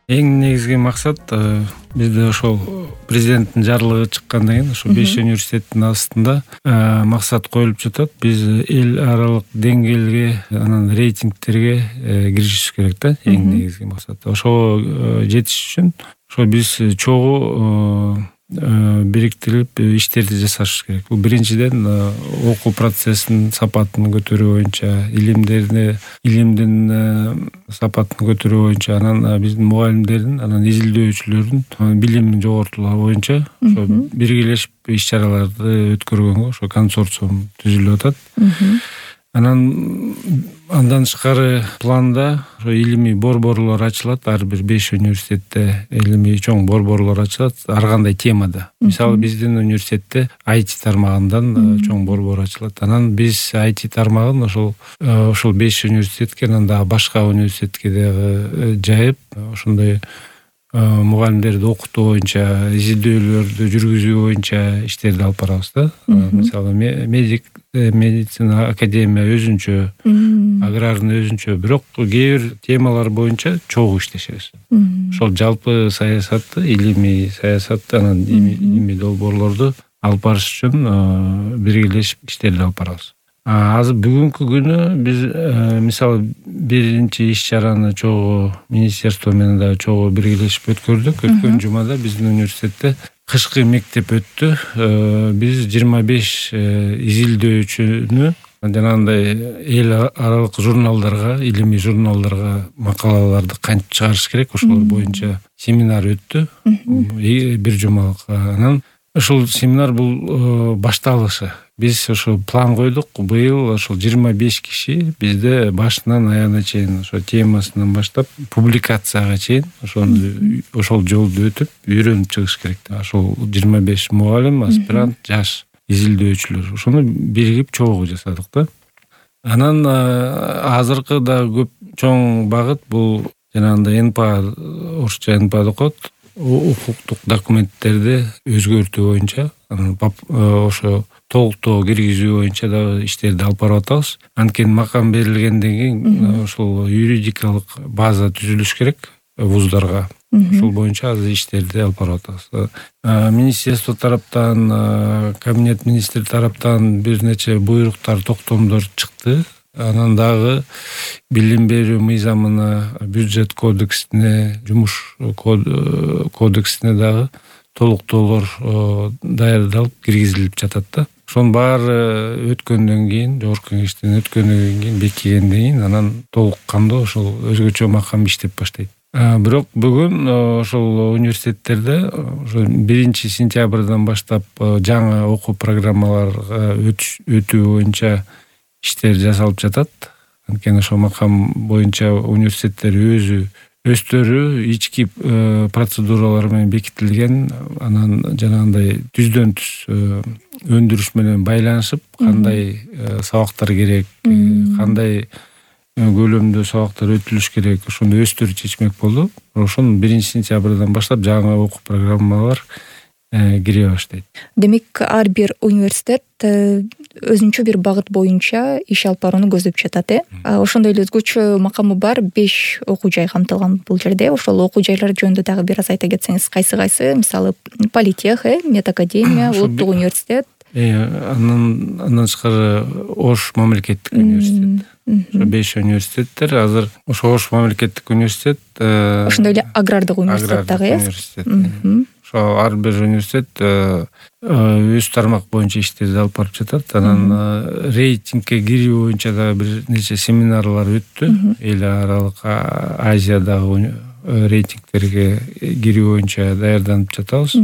Эң негизги максат бизде ошол президенттин жарлыгы чыккандан кийин ошо 5 университеттин астында максат коюлуп жатат. Биз эл аралык деңгээлге, анан рейтингтерге киришибиз керек да. Эң негизги максат. Ошого жетиш үчүн ошо биз чогуу бириктирип иштерди жасашыбыз керек. Бул биринчиден окуу процессинин сапатын көтөрүү боюнча, илимдин сапатын көтөрүү боюнча, анан биздин мугалимдердин, анан изилдөөчүлөрдүн билимин жоготуулоо боюнча ошо биргелешип иш-чараларды өткөргөнгө ошо консорциум түзүлүп атат. Андан тышкары планда ошо илимий борборлор ачылат. Ар бир 5 университетте илимий чоң борборлор ачылат ар кандай темада. Мисалы биздин университетте IT тармагынан чоң борбор ачылат. Анан биз IT тармагын ошол 5 университетке, анан дагы башка университетке дагы жайып, ошондой мугалимдерди окутуу боюнча, изилдөөлөрдү жүргүзүү боюнча иштерди алып барабыз да. Мисалы медицина академия өзүнчө, аграрный өзүнчө, бирок кээ бир темалар боюнча чогуу иштешебиз. Ошол жалпы саясатты, илимий саясатты, анан илимий долбоорлорду алып барыш үчүн биргелешип иштерди алып барабыз. Азыр бүгүнкү күнү биз мисалы биринчи иш-чараны чогуу министерство менен дагы чогуу биргелешип өткөрдүк. Өткөн жумада биздин университетте кышкы мектеп өттү. Биз 25 изилдөөчүнү жанагындай эл аралык журналдарга, илимий журналдарга макалаларды кантип чыгарыш керек, ошолор боюнча семинар өттү. Бир жумалык. Анан ушул семинар бул башталышы. Биз ошо план койдук. Быйыл ошол 25 киши бизде башынан аягына чейин ошо темасынан баштап публикацияга чейин ошол жолду өтүп үйрөнүп чыгыш керек. Ошол 25 мугалим, аспирант, жаш изилдөөчүлөр ошону биригип чогуу жасадык да. Анан азыркы да көп чоң багыт бул жанагындай НПА, орусча НПА деп коет, укуктук документтерди өзгөртүү боюнча, анан ошо толуктоо киргизүү боюнча дагы иштерди алып барып атабыз. Анткени макам берилгенден кийин ошол юридикалык база түзүлүш керек вуздарга. Ошол боюнча азыр иштерди алып барып атабыз. Министерство тараптан, кабинет министри тараптан бир нече буйруктар, токтомдор чыкты. Анан дагы билим берүү мыйзамына, бюджет кодексине, жумуш кодексине дагы толуктоолор даярдалып киргизилип жатат да. Ошонун баары өткөндөн кийин, жогорку кеңештен өткөндөн кийин, бекигенден кийин анан толук кандуу ошол өзгөчө макам иштеп баштайт. Бирок бүгүн ошол университеттерде ошо 1-сентябрдан баштап жаңы окуу программаларга өтүү боюнча иштер жасалып жатат. Анткени ошол макам боюнча университеттер өздөрү ички процедуралар менен бекитилген, анан жанагындай түздөн түз өндүрүш менен байланышып, кандай сабактар керек, кандай көлөмдө сабактар өтүлүш керек, ошону өздөрү чечмек болду. Ошону 1-сентябрдан баштап жаңы окуу программалар кире баштайт. Демек, ар бир университет өзүнчө бир багыт боюнча иш алып барууну көздөп жатат, Ошондой эле өзгөчө макамы бар 5 окуу жай камтылган бул жерде. Ошол окуу жайлар жөнүндө дагы бир аз айта кетсеңиз, кайсы? Мисалы, Политех, Медакадемия, Улуттук университет. Андан тышкары Ош мамлекеттик университет. Ошо 5 университеттер азыр. Ошо Ош мамлекеттик университет, ошондой эле агрардык университет дагы, Ошо ар бир университет өз тармак боюнча иштерди алып барып жатат. Анан рейтингке кирүү боюнча да бир нече семинарлар өттү. Эл аралык Азиядагы рейтингтерге кирүү боюнча даярданып жатабыз.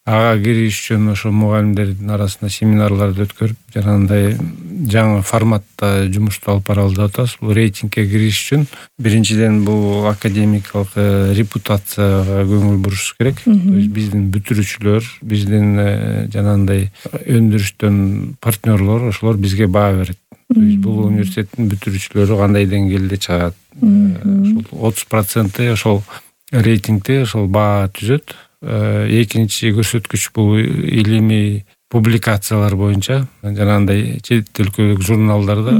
Ага кириш үчүн ошо мугалимдердин арасында семинарларды өткөрүп, жанагындай жаңы форматта жумушту алып баралы деп атабыз. Бул рейтингке кириш үчүн биринчиден бул академикалык репутацияга көңүл буруш керек. Биздин бүтүрүүчүлөр, биздин жанагындай өндүрүштөн партнерлор, ошолор бизге баа берет. Бул университеттин бүтүрүүчүлөрү кандай деңгээлде чыгат. Ошол 30% ошол рейтингде ошол баа түзөт. Экинчи көрсөткүч бул илимий публикациялар боюнча, жанагындай чет өлкөлүк журналдарда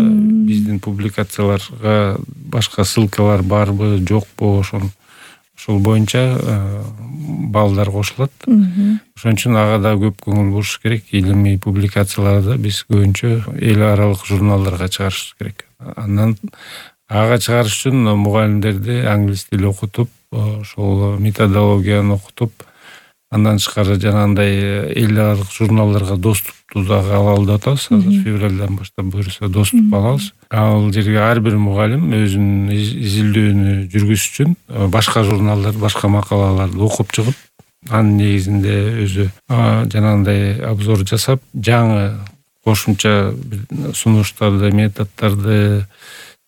биздин публикацияларга башка ссылкалар барбы, жокпу, ошол боюнча балдар кошулат. Ошон үчүн ага да көп көңүл буруш керек. Илимий публикацияларды биз көбүнчө эл аралык журналдарга чыгарыш керек. Андан ага чыгарыш үчүн мугалимдерди англис тили окутуп, ошол методологияны окутуп, андан тышкары жанагындай эл аралык журналдарга доступту дагы алалы деп атабыз. Азыр февралдан баштап буюрса доступ алабыз. Ал жерге ар бир мугалим өзүнүн изилдөөнү жүргүзүш үчүн башка журналдар, башка макалаларды окуп чыгып, анын негизинде өзү жанагындай обзор жасап, жаңы кошумча сунуштарды, методдорду,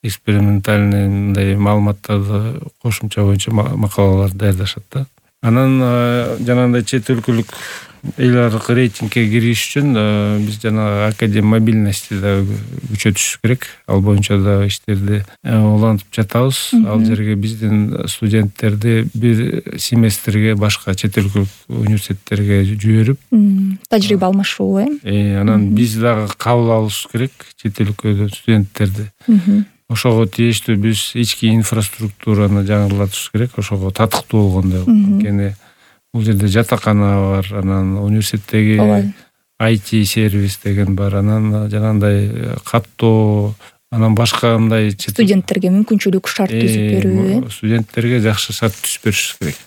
экспериментальный мындай маалыматтарды кошумча боюнча макалалар даярдашат да. Анан жанагындай чет өлкөлүк эл аралык рейтингге кириш үчүн биз жанагы академ мобильности да күчөтүш керек. Ал боюнча да иштерди улантып жатабыз. Ал жерге биздин студенттерди бир семестрге башка чет өлкөлүк университеттерге жиберип, тажрыйба алмашуу, анан биз дагы кабыл алышыбыз керек чет өлкөдөн студенттерди. Ошого тийиштүү биз ички инфраструктураны жаңыртышыбыз керек, ошого татыктуу болгондой. Анткени бул жерде жатакана бар, анан университеттеги IT сервис деген бар, анан жанагындай каттоо, анан башка мындай студенттерге мүмкүнчүлүк, шарт түзүп берүү, студенттерге жакшы шарт түзүп бериш керек.